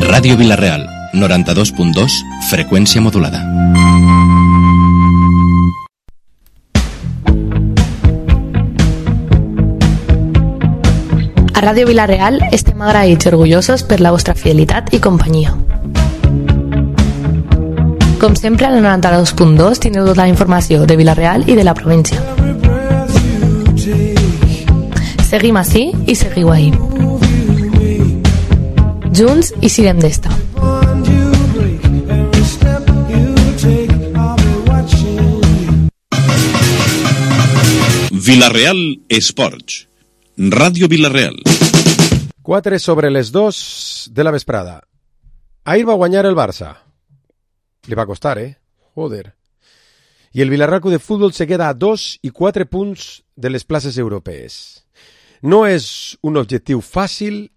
Ràdio Vila-real, 92.2, freqüència modulada. A Ràdio Vila-real estem agraïts i orgullosos per la vostra fidelitat i companyia. Com sempre, al 92.2 teniu tota la informació de Vila-real i de la província. Seguim ací i seguiu ahí. Junts i siguem d'esta. Vila-real Esports. Ràdio Vila-real. 4 sobre les 2 de la vesprada. Ahir va guanyar el Barça. Li va costar, Joder. I el Villarreal Club de Futbol se queda a 2 i 4 punts de les places europees. No és un objectiu fàcil,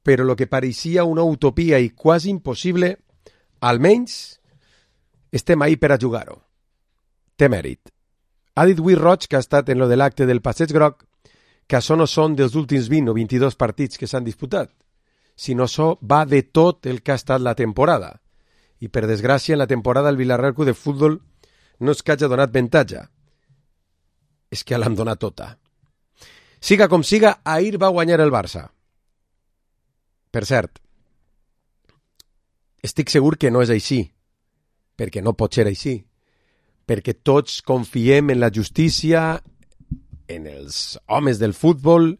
però lo que pareixia una utopia i quasi impossible, almenys estem ahí per a jugar-ho. Té mèrit. Ha dit Lluís Roig, que ha estat en lo de l'acte del Passeig Groc, que això no són dels últims 20 o 22 partits que s'han disputat, sinó això va de tot el que ha estat la temporada. I per desgràcia, en la temporada el Villarreal Club de Futbol no és que hagi donat avantatge, és que l'han donat tota. Siga com siga, ahir va guanyar el Barça. Per cert, estic segur que no és així, perquè no pot ser així, perquè tots confiem en la justícia, en els homes del futbol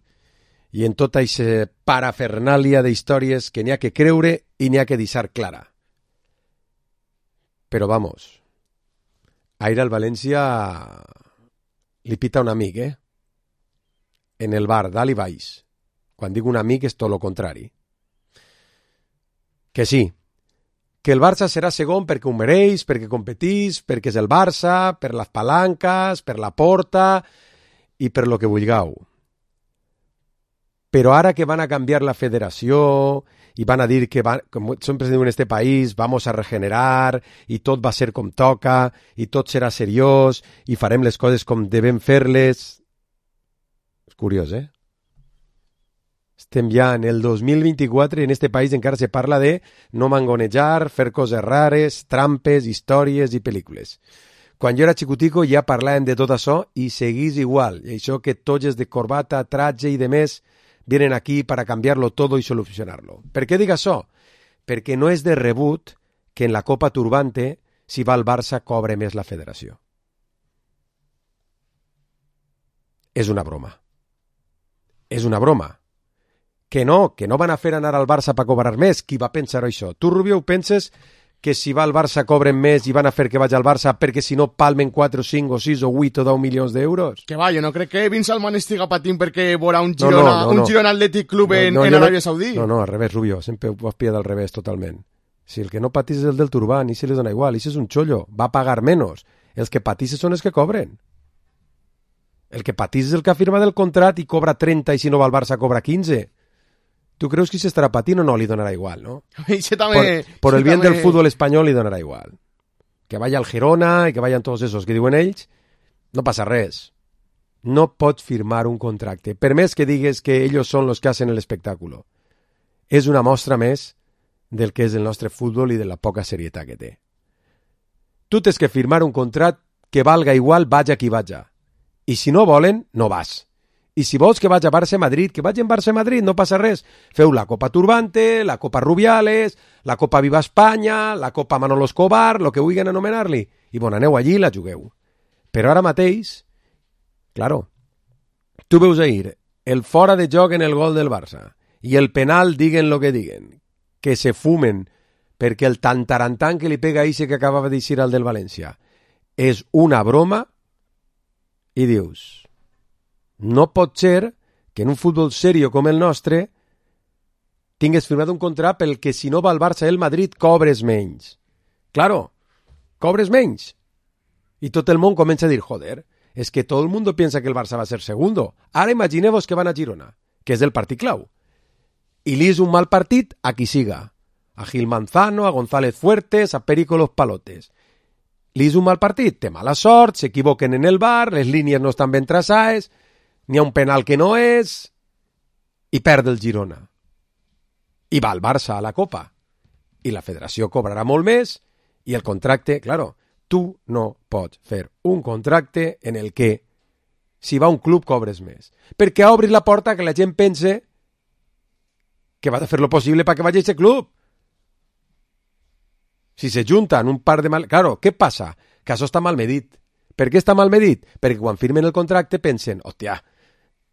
i en tota aquesta parafernàlia d'històries que n'hi ha que creure i n'hi ha que deixar clara. Però vamos, ahir al València li pita un amic, en el bar, dalt i baix. Quan dic un amic és tot lo contrari. Que sí, que el Barça serà segon perquè ho mereix, perquè competís, perquè és el Barça, per les palanques, per la porta i per lo que vulgueu. Però ara que van a canviar la federació i van a dir que, com sempre se diu en este país, vamos a regenerar i tot va ser com toca i tot serà seriós i farem les coses com devem fer-les. És curiós, Estem ja en el 2024 i en este país encara se parla de no mangonejar, fer coses rares, trampes, històries i pel·lícules. Quan jo era xicutico ja parlàvem de tot això i seguís igual. I això que tolles de corbata, tratge i de més vienen aquí para cambiarlo todo y solucionarlo. ¿Per què dic això? Perquè no és de rebut que en la Copa Turbante, si va al Barça, cobre més la federació. És una broma. És una broma. Que no van a fer anar al Barça per cobrar més. Qui va pensar això? Tu, Rubio, ho penses que si va al Barça cobren més i van a fer que vagi al Barça perquè si no palmen 4, 5 o 6 o 8 o 10 milions d'euros? Que va, jo no crec que Vince Salman estiga patint perquè veurà un Girona Athletic Club en Aràbia Saudí. No, al revés, Rubio, sempre ho has pillat al revés totalment. Si el que no patís és el del Turban i se li dona igual, i si és un xollo, va a pagar menys. Els que patisses són els que cobren. El que patís és el que ha firmat el contrat i cobra 30 i si no va al Barça cobra 15. ¿Tú creus que se estarà patint o no? Li donarà igual, ¿no? Por el bien del fútbol espanyol li donarà igual. Que vaya al Girona i que vayan todos esos que diuen ells, no passa res. No pot firmar un contracte, per més que digues que ells són los que hacen el espectáculo. És una mostra més del que és el nostre futbol i de la poca serietat que té. Tu tens que firmar un contracte que valga igual, vaja qui vaja. I si no volen, no vas. I si vols que vagi a Barça-Madrid, que vagi en Barça-Madrid, no passa res. Feu la Copa Turbante, la Copa Rubiales, la Copa Viva Espanya, la Copa Manolo Escobar, lo que vulguin anomenar-li. I bon, aneu allí i la jugueu. Però ara mateix, claro, tu veus ahir el fora de joc en el gol del Barça i el penal, diguen lo que diguen, que se fumen perquè el tantarantan que li pega a Ixe que acabava d'eixir al del València és una broma i dius... No pot ser que en un futbol serio com el nostre tingues firmat un contracte pel que si no va al Barça el Madrid cobres menys. Claro, cobres menys. I tot el món comença a dir, joder, és que tot el món piensa que el Barça va a ser segundo. Ara imagineu-vos que van a Girona, que és el partit clau. I li és un mal partit a qui siga. A Gil Manzano, a González Fuertes, a Perico Los Palotes. Li és un mal partit, té mala sort, s'equivoquen en el bar, les línies no estan ben traçades... N'hi ha un penal que no és i perd el Girona. i va el Barça a la Copa. I la federació cobrarà molt més i el contracte, claro, tu no pots fer un contracte en el que si va a un club cobres més. Perquè obris la porta que la gent pense que vas a fer lo possible perquè vagi a aquest club. Si se junten un par de mal... Claro, què passa? Que això està mal medit. Per què està mal medit? Perquè quan firmen el contracte pensen, hòstia,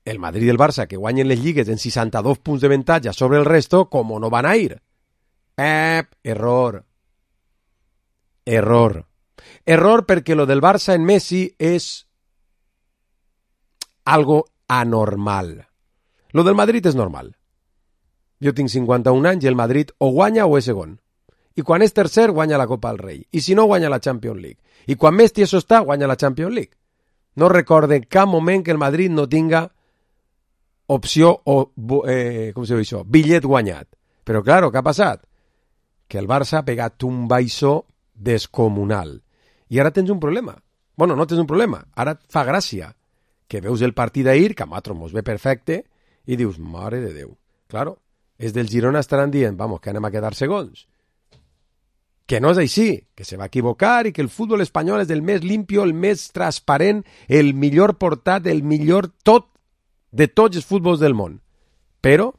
el Madrid i el Barça que guanyen les lligues en 62 punts de avantatge sobre el resto, com no van a ir? Error. Error perquè lo del Barça en Messi és algo anormal. Lo del Madrid és normal. Jo tinc 51 anys i el Madrid o guanya o és segon. I quan és tercer, guanya la Copa del Rei. I si no, guanya la Champions League. I quan més tieso està, guanya la Champions League. No recorde en cap moment que el Madrid no tinga opció o, com se diu això? Bitllet guanyat. Però, claro, què ha passat? Que el Barça ha pegat un baixó descomunal. I ara tens un problema. Bueno, no tens un problema. Ara et fa gràcia que veus el partit d'ahir, que a nosaltres mos ve perfecte, i dius, mare de Déu. Claro, és del Girona estaran dient, vamos, que anem a quedar segons. Que no és així, que se va equivocar i que el futbol espanyol és el més limpio, el més transparent, el millor portat, el millor tot de tots els futbols del món. Però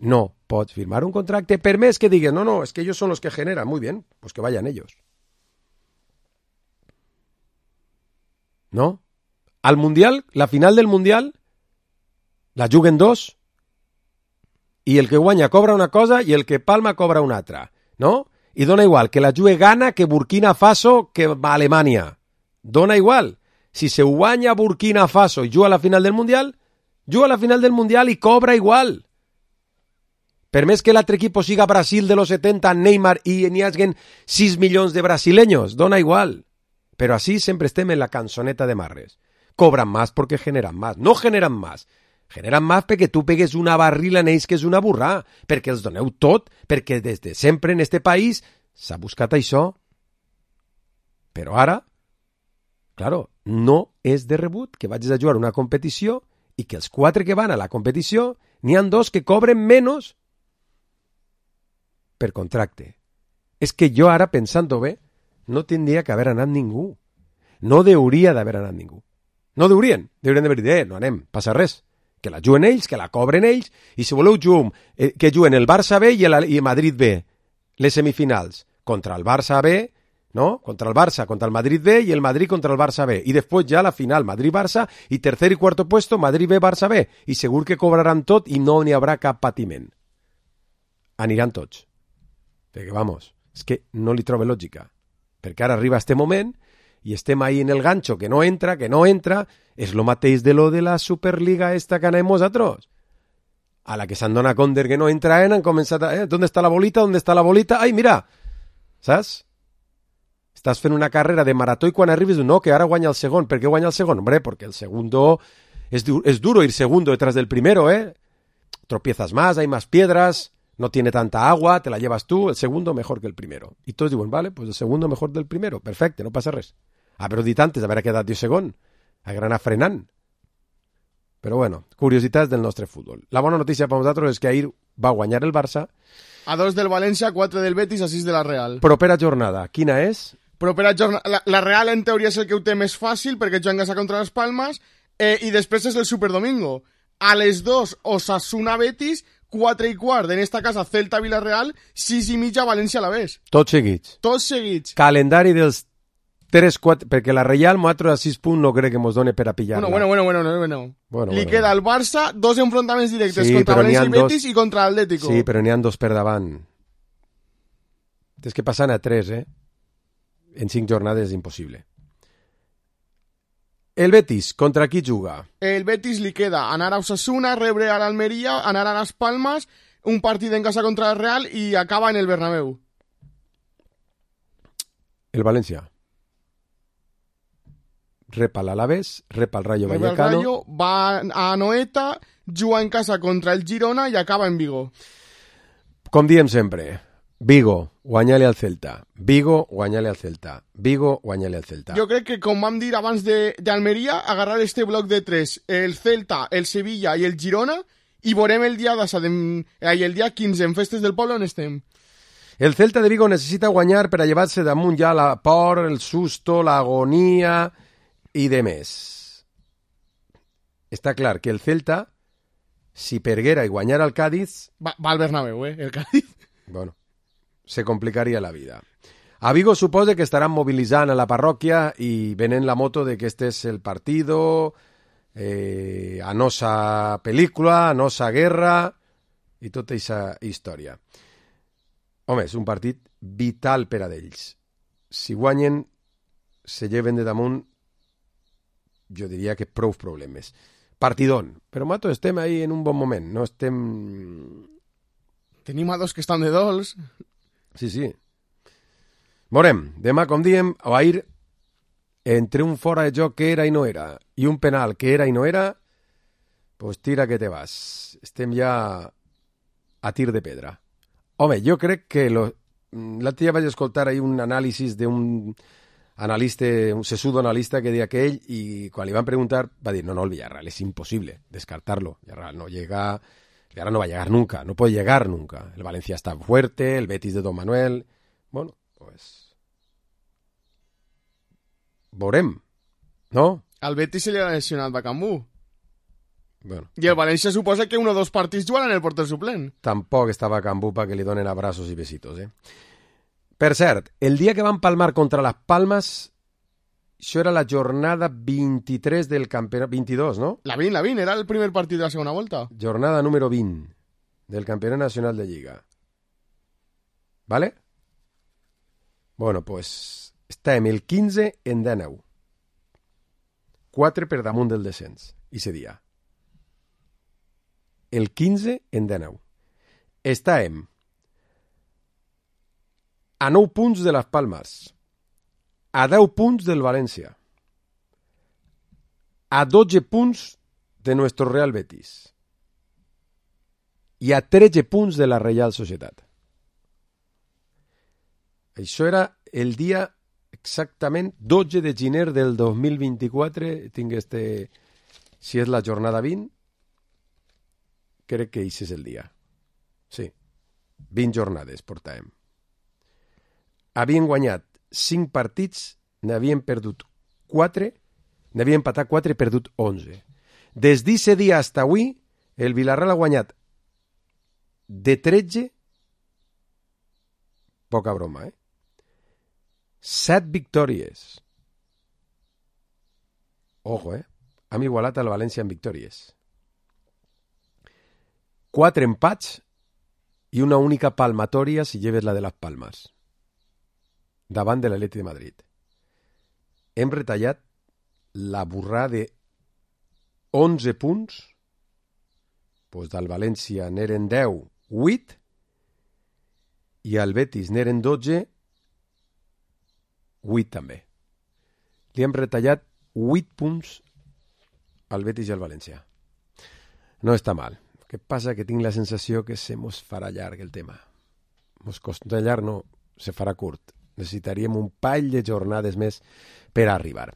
no pots firmar un contracte per més que digues, no, es que ellos son los que generan. Muy bien, pues que vayan ellos. ¿No? Al Mundial, la final del Mundial, la juguen dos i el que guanya cobra una cosa i el que palma cobra una altra, no? I dona igual que la jugue Ghana, que Burkina Faso, que Alemanya. Dona igual. Si se guanya Burkina Faso i juga a la final del Mundial i cobra igual. Per més que l'altre equip siga Brasil de los 70, Neymar, i n'hi haguen 6 milions de brasileños, dona igual. Però així sempre estem en la cançoneta de Marres. Cobran más porque generan más. No generan más. Generan más perquè tu pegues una barrila en ells que és una burrà, perquè els doneu tot, perquè des de sempre en este país s'ha buscat això. Però ara, claro, no és de rebut que vagis a jugar una competició i que els 4 que van a la competició n'hi han 2 que cobren menys per contracte. És que jo ara, pensant-ho bé, no tindria que haver anat ningú. No hauria d'haver anat ningú. No haurien d'haver dit, no anem, passa res. Que la juguen ells, que la cobren ells, i si voleu que juguen el Barça B i el Madrid B, les semifinals, contra el Barça B, no? Contra el Barça, contra el Madrid B i el Madrid contra el Barça B. I després ja la final, Madrid-Barça, i tercer i cuarto puesto, Madrid B, Barça B. I segur que cobraran tot i no n'hi haurà cap patiment. Aniran tots. Perquè, vamos, és que no li trobo lògica. Perquè ara arriba este moment i estem ahí en el gancho, que no entra, és lo mateix de lo de la Superliga esta que anem nosaltres. A la que s'han donat compte que no entraen, han començat a... ¿Dónde está la bolita? Ai, mira! Saps? Estàs fent una carrera de marató i quan arribes, no, que ara guanya el segon. Per què guanya el segon? Hombre, porque el segundo... Es duro ir segundo detrás del primero, ¿eh? Tropiezas más, hay más piedras, no tiene tanta agua, te la llevas tú, el segundo mejor que el primero. I tots diuen, vale, pues el segundo mejor del primero. Perfecte, no passa res. Haver-ho dit antes d'haver quedat jo segon. Haver anat frenant. Però bueno, curiositats del nostre futbol. La bona notícia per nosaltres és que ahir va guanyar el Barça. A 2 del València, 4 del Betis, a 6 de la Real. Propera jornada, quina és? Propera jornada... La Real en teoria és el que ho té més fàcil perquè juga en casa contra les Palmes i després és el Superdomingo. A les 2, Osasuna-Betis, 4 i quart en esta casa Celta-Villarreal, 6 i mitja València-Alavés. Tots seguits. Calendari dels 3-4, perquè la Reial Moatro a 6 punts no crec que mos done per a pillar-la. Bueno. Li queda al Barça 2 enfrontaments directes contra València i Betis i contra l'Atlético. Sí, però n'hi ha 2 per davant. Tens que passar a 3, En 5 jornades és impossible. El Betis, contra qui juga? El Betis li queda anar a Osasuna, rebre a l'Almeria, anar a les Palmes, un partit en casa contra el Real i acaba en el Bernabéu. El València. Repa l'Alavés, repa el Rayo Vallecano. El Rayo va a Anoeta, juga en casa contra el Girona i acaba en Vigo. Com diem sempre, Vigo, guanya-li al Celta. Vigo, guanya-li al Celta. Vigo, guanya-li al Celta. Jo crec que, com vam dir abans d'Almeria, agarrar este bloc de 3, el Celta, el Sevilla i el Girona, i veurem el dia 15 en Festes del Poble on estem. El Celta de Vigo necessita guanyar per a llevar-se damunt ja la por, el susto, l'agonia i de més. Està clar que el Celta, si perguera i guanyara el Cádiz... Va al Bernabéu, el Cádiz. Bueno, se complicaria la vida. A Vigo suposa que estaran mobilitzant a la parròquia i venent la moto de que este és el partido, a nosa pel·lícula, a nosa guerra i tota aquesta història. Home, és un partit vital per a d'ells. Si guanyen, se lleven de damunt, jo diria que prou problemes. Partidón. Però, Mato, estem ahí en un bon moment. No estem... Tenim a dos que estan de dols. Sí, sí. Veurem. Demà, com diem, a ir entre un fora de joc que era i no era i un penal que era i no era, pues tira que te vas. Estem ja a tir de pedra. Home, jo crec que... L'altre dia vaig escoltar ahí un anàlisi d'un analista, un sesudo analista que deia que ell, i quan li van preguntar, va dir, no, el Villarreal es imposible descartarlo. Villarreal no llega... Villarreal no va a llegar nunca, no puede llegar nunca. El Valencia está fuerte, el Betis de Don Manuel... Bueno, pues... Veurem, no? Al Betis se li ha lesionat Bacambú. Bueno, I el València suposa que 1 o 2 partits jugaran el porter suplent. Tampoc estava Cambú perquè li donen abrazos i besitos, Per cert, el dia que van palmar contra les Palmes, això era la jornada 23 del campionat... 22, no? La 20, era el primer partit de la segona volta. Jornada número 20 del Campionat Nacional de Lliga. ¿Vale? Bueno, pues estem el 15 en 19. 4 per damunt del descens, ese dia. El 15 en 19. Estàvem a 9 punts de les Palmes, a 10 punts del València, a 12 punts de nuestro Real Betis i a 13 punts de la Reial Societat. Això era el dia exactament 12 de gener del 2024. Tinc si és la jornada 20, crec que això és el dia. Sí, 20 jornades portàvem. Havien guanyat 5 partits, n'havien perdut 4, n'havien empatat 4 i perdut 11. Des d'aquest dia fins avui, el Villarreal ha guanyat de 13, poca broma, 7 victòries. Ojo, hem igualat al València en victòries. 4 empats i una única palmatòria si lleves la de les Palmes davant de l'Atlètic de Madrid. Hem retallat la burrada de 11 punts, doncs del València n'eren 10, 8, i al Betis n'eren 12, 8 també. Li hem retallat 8 punts al Betis i al València. No està mal. Què passa? Que tinc la sensació que se mos farà llarg el tema. Mos costarà llarg, no, se farà curt. Necessitaríem un pall de jornades més per arribar.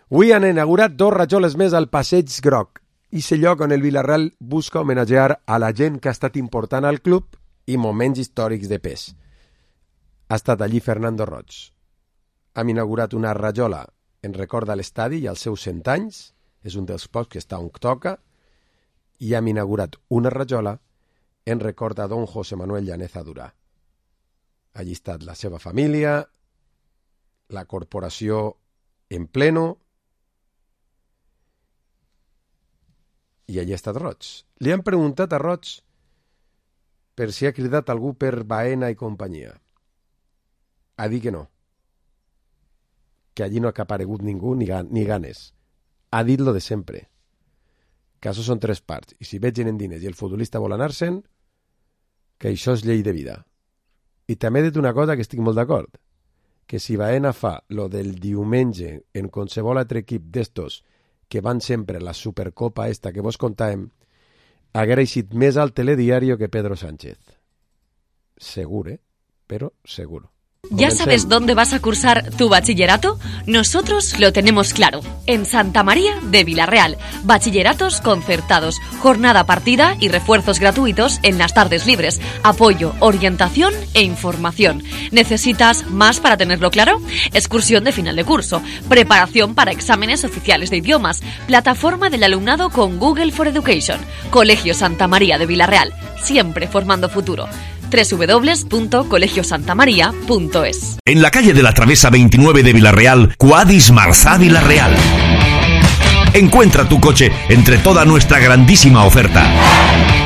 Avui han inaugurat 2 rajoles més al Passeig Groc, i és el lloc on el Villarreal busca homenatjar a la gent que ha estat important al club i moments històrics de pes. Ha estat allí Fernando Roig. Hem inaugurat una rajola en record de l'estadi i als seus 100 anys, és un dels pocs que està on toca, i hem inaugurat una rajola en record a don José Manuel Llaneza Durà. Allí ha estat la seva família, la corporació en pleno, i allí ha estat Roig. Li han preguntat a Roig per si ha cridat algú per Baena i companyia. Ha dit que no, que allí no ha aparegut ningú ni ganes. Ha dit lo de sempre, que això són 3 parts, i si vegen en diners i el futbolista vol anar-se'n, que això és llei de vida. I també he dit una cosa que estic molt d'acord, que si Baena fa lo del diumenge en qualsevol altre equip d'estos que van sempre a la Supercopa esta que vos contàvem, haguera eixit més al telediario que Pedro Sánchez. Segur, però segur. ¿Ya sabes dónde vas a cursar tu bachillerato? Nosotros lo tenemos claro. En Santa María de Vilarreal. Bachilleratos concertados, jornada partida y refuerzos gratuitos en las tardes libres. Apoyo, orientación e información. ¿Necesitas más para tenerlo claro? Excursión de final de curso, preparación para exámenes oficiales de idiomas, plataforma del alumnado con Google for Education. Colegio Santa María de Vilarreal, siempre formando futuro. www.colegiosantamaria.es. En la calle de la Travesa 29 de Vilarreal, Quadis Marzá Vilarreal. Encuentra tu coche entre toda nuestra grandísima oferta.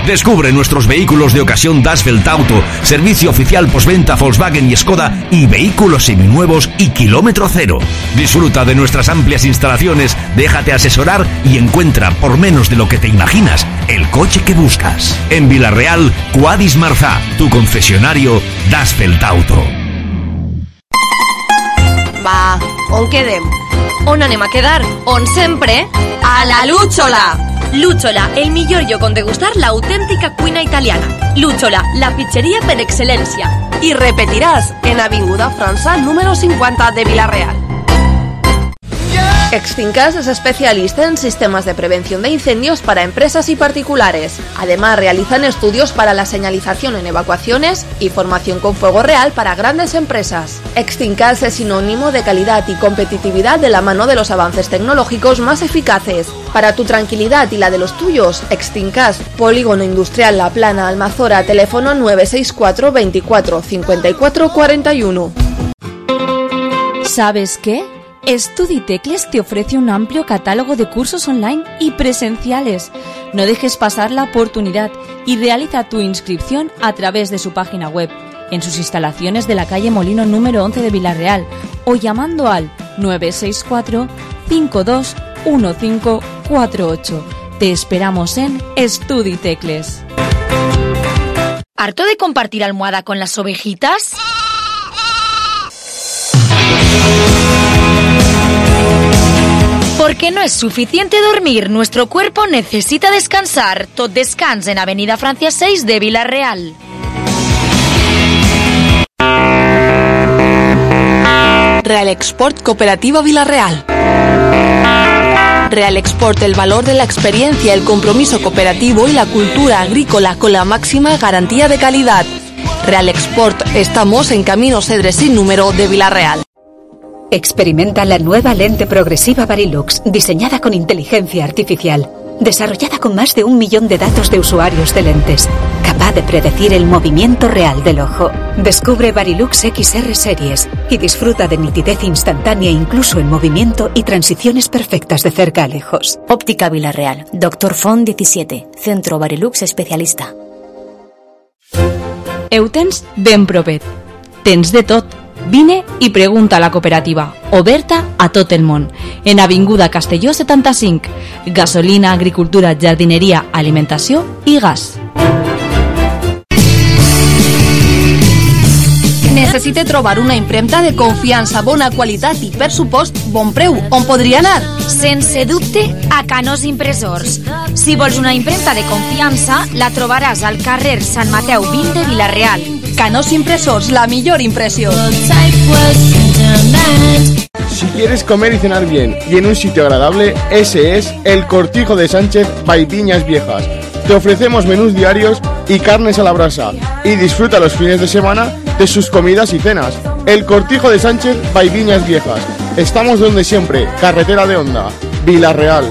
Descubre nuestros vehículos de ocasión Dasfeld Auto, servicio oficial postventa Volkswagen y Skoda y vehículos seminuevos y kilómetro cero. Disfruta de nuestras amplias instalaciones, déjate asesorar y encuentra por menos de lo que te imaginas el coche que buscas. En Vilarreal, Quadis Marzá, tu concesionario Dasfeld Auto. Va, on quedem? On anem a quedar? On sempre? A la Lúchola! Lúchola, el millor lloc on degustar l'autèntica cuina italiana. Lúchola, la pizzeria per excel·lència. I repetiràs en Avinguda França número 50 de Vilarreal. Extincas es especialista en sistemas de prevención de incendios para empresas y particulares. Además, realizan estudios para la señalización en evacuaciones y formación con fuego real para grandes empresas. Extincas es sinónimo de calidad y competitividad de la mano de los avances tecnológicos más eficaces. Para tu tranquilidad y la de los tuyos, Extincas, Polígono Industrial La Plana, Almazora, teléfono 964 24 54 41. ¿Sabes qué? Studitecles te ofrece un amplio catálogo de cursos online y presenciales. No dejes pasar la oportunidad y realiza tu inscripción a través de su página web, en sus instalaciones de la calle Molino número 11 de Vilarreal o llamando al 964 52 1548. Te esperamos en Studitecles. ¿Harto de compartir almohada con las ovejitas? Porque no es suficiente dormir, nuestro cuerpo necesita descansar. Tot Descans en Avenida Francia 6 de Vilarreal. Real Export Cooperativa Vilarreal. Real Export, el valor de la experiencia, el compromiso cooperativo y la cultura agrícola con la máxima garantía de calidad. Real Export, estamos en Camino Cedres sin número de Vilarreal. Experimenta la nueva lente progresiva Varilux, diseñada con inteligencia artificial, desarrollada con más de 1 millón de datos de usuarios de lentes, capaz de predecir el movimiento real del ojo. Descubre Varilux XR Series y disfruta de nitidez instantánea incluso en movimiento y transiciones perfectas de cerca a lejos. Óptica Vilarreal, Dr. Font 17, Centro Varilux Especialista. Eutens ben propet. Tens de tot. Vine i pregunta a la cooperativa, oberta a tot el món, en Avinguda Castelló 75, gasolina, agricultura, jardineria, alimentació i gas. Necessite trobar una impremta de confiança, bona qualitat i, per supost, bon preu. On podria anar? Sense dubte, a Canós Impressors. Si vols una impremta de confiança, la trobaràs al carrer Sant Mateu 20 de Vilarreal. Canós Impressors, la millor impresión. Si quieres comer y cenar bien y en un sitio agradable, ese es el Cortijo de Sánchez by Viñas Viejas. Te ofrecemos menús diarios y carnes a la brasa y disfruta los fines de semana de sus comidas y cenas. El Cortijo de Sánchez by Viñas Viejas. Estamos donde siempre, carretera de Onda, Vilarreal.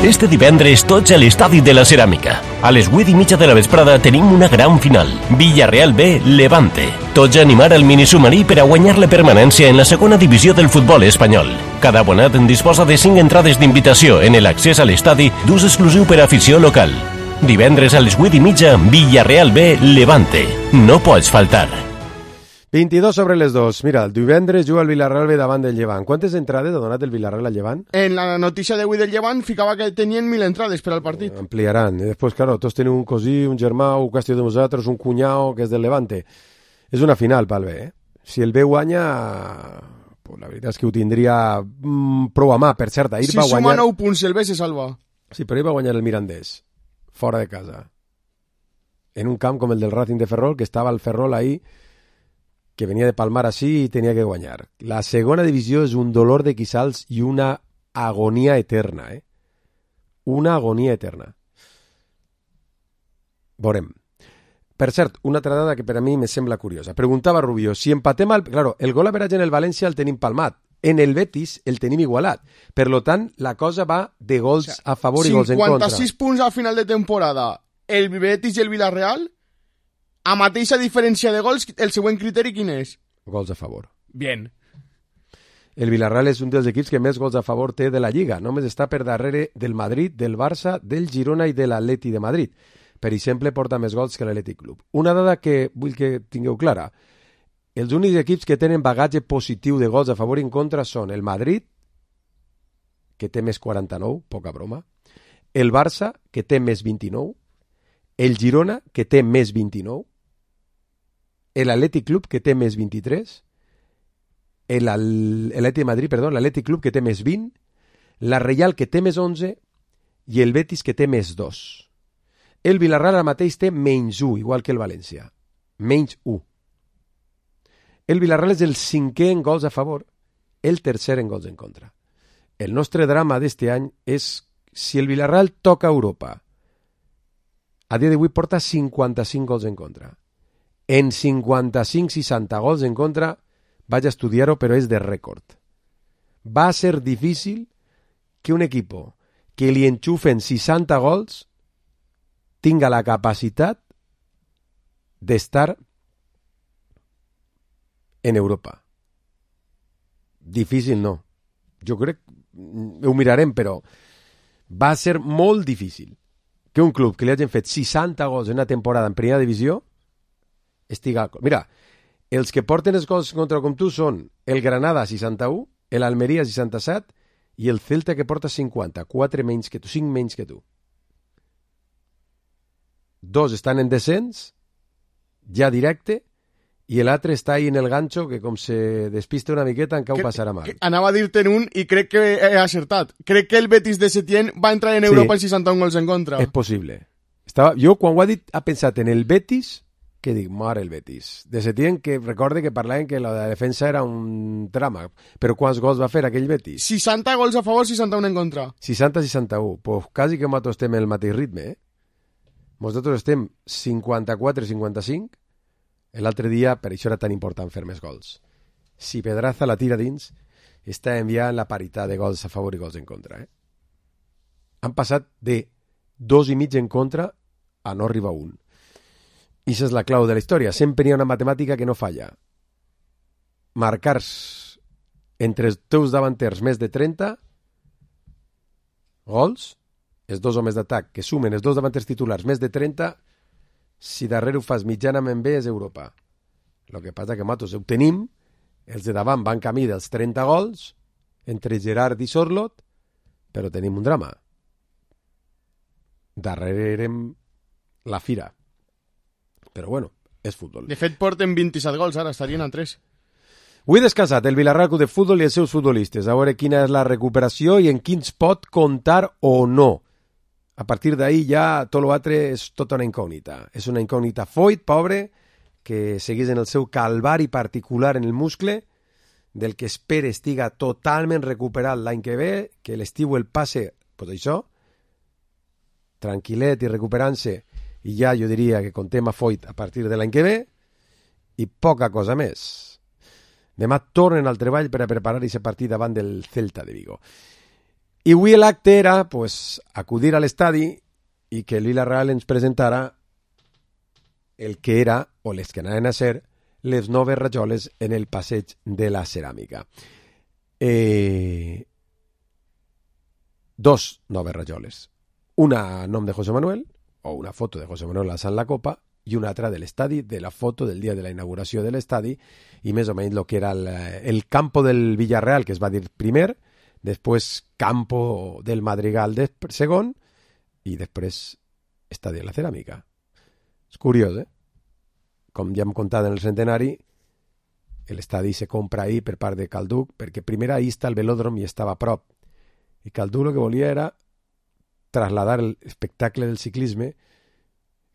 Este divendres tots a l'Estadi de la Ceràmica. A les 8:30 de la vesprada tenim una gran final. Villarreal B, Levante. Tots a animar el minisubmarí per a guanyar la permanència en la segona divisió del futbol espanyol. Cada abonat en disposa de 5 entrades d'invitació en l'accés a l'estadi d'ús exclusiu per a afició local. Divendres a les 8:30, Villarreal B, Levante. No pots faltar. 22 sobre les 2. Mira, el divendres juga el Vilarreal B davant del Llevant. Quantes entrades ha donat el Vilarreal al Llevant? En la notícia d'avui del Llevant ficava que tenien 1.000 entrades per al partit. Ampliaran. I després, claro, tots tenen un cosí, un germà, un qüestió de nosaltres, un cunyau que és del Levante. És una final pel B, eh? Si el B guanya, pues la veritat és que ho tindria prou a mà. Per cert, ahir va guanyar... Si suma 9 punts el B se salva. Sí, però ahir va guanyar el Mirandés, fora de casa. En un camp com el del Racing de Ferrol, que estava el Ferrol ahí que venia de palmar així i tenia que guanyar. La segona divisió és un dolor de quissals i una agonia eterna, Una agonia eterna. Veurem. Per cert, una altra dada que per a mi me sembla curiosa. Preguntava Rubio, si empatem Claro, el gol average en el València el tenim palmat. En el Betis el tenim igualat. Per lo tant, la cosa va de gols a favor i gols en contra. 56 punts al final de temporada. El Betis i el Villarreal, a mateixa diferència de gols, el següent criteri quin és? Gols a favor. Bien. El Villarreal és un dels equips que més gols a favor té de la Lliga. Només està per darrere del Madrid, del Barça, del Girona i de l'Atleti de Madrid. Per exemple, porta més gols que l'Atlètic Club. Una dada que vull que tingueu clara. Els únics equips que tenen bagatge positiu de gols a favor i en contra són el Madrid, que té més 49, poca broma, el Barça, que té més 29, el Girona, que té més 29, l'Atlètic Club, que té més 23, l'Atlètic de Madrid, perdó, l'Atlètic Club, que té més 20, la Reial, que té més 11, i el Betis, que té més 2. El Villarreal ara mateix té menys 1, igual que el València. Menys 1. El Villarreal és el 5è en gols a favor, el 3è en gols en contra. El nostre drama d'este any és si el Villarreal toca Europa. A dia d'avui porta 55 gols en contra. En 55-60 gols en contra, vaig a estudiar-ho, però és de rècord. Va ser difícil que un equip que li enxufen 60 gols tinga la capacitat d'estar en Europa. Difícil no. Jo crec, ho mirarem, però va ser molt difícil que un club que li hagin fet 60 gols en una temporada en primera divisió estiga... Mira, els que porten els gols contra com tu són el Granada 61, l'Almeria 67 i el Celta que porta 50, 4 menys que tu, 5 menys que tu. 2 estan en descens, ja directe, i l'altre està ahí en el ganxo que com se despista una miqueta encara ho passarà mal. Anava a dir-te'n un i crec que he acertat. Crec que el Betis de Setién va entrar en Europa en 61 gols en contra. És possible. Jo quan ho ha dit ha pensat en el Betis, que dic, mare el Betis. De Setién, que recorde que parlaven que la defensa era un drama. Però quants gols va fer aquell Betis? 60 gols a favor, 61 en contra. 60-61. Pues quasi que nosaltres estem en el mateix ritme, Nosaltres estem 54-55. L'altre dia, per això era tan important fer més gols. Si Pedraza la tira dins, està enviant la paritat de gols a favor i gols en contra. Han passat de 2,5 en contra a no arribar a 1. I això és la clau de la història. Sempre hi ha una matemàtica que no falla. Marcar entre els teus davanters més de 30 gols, els dos homes d'atac que sumen els dos davanters titulars més de 30, si darrere ho fas mitjanament bé és Europa. El que passa que nosaltres ho tenim, els de davant van camí dels 30 gols, entre Gerard i Sorlot, però tenim un drama. Darrere érem la fira. Però bueno, és futbol. De fet, porten 27 gols, ara estarien a 3. Avui descansat el Villarreal Club de Futbol i els seus futbolistes. A veure quina és la recuperació i en quins pot comptar o no. A partir d'ahí ja tot l'altre és tota una incògnita. És una incògnita Foyt, pobre, que seguís en el seu calvari particular en el muscle, del que espera estiga totalment recuperat l'any que ve, que l'estiu el passe, pues això, tranquil·let i recuperant-se, i ja jo diria que contem a Foyt a partir de l'any que ve, i poca cosa més. Demà tornen al treball per a preparar aquest partit davant del Celta de Vigo. I avui l'acte era pues, acudir a l'estadi i que el Villarreal ens presentara el que era, o les que anaven a ser, les noves rajoles en el passeig de la ceràmica. 2 noves rajoles. Una a nom de José Manuel, o una foto de José Manuel alçant la copa, i una altra de l'estadi, de la foto del dia de la inauguració de l'estadi, i més o menys el que era el campo del Villarreal, que es va dir primer, després campo del Madrigal segon, i després estadi de la ceràmica. És curiós, Com ja hem contat en el centenari, l'estadi se compra ahir per part de Calduc, perquè primer ahir està el velòdrom i estava a prop. I Calduc el que volia era trasladar l'espectacle del ciclisme.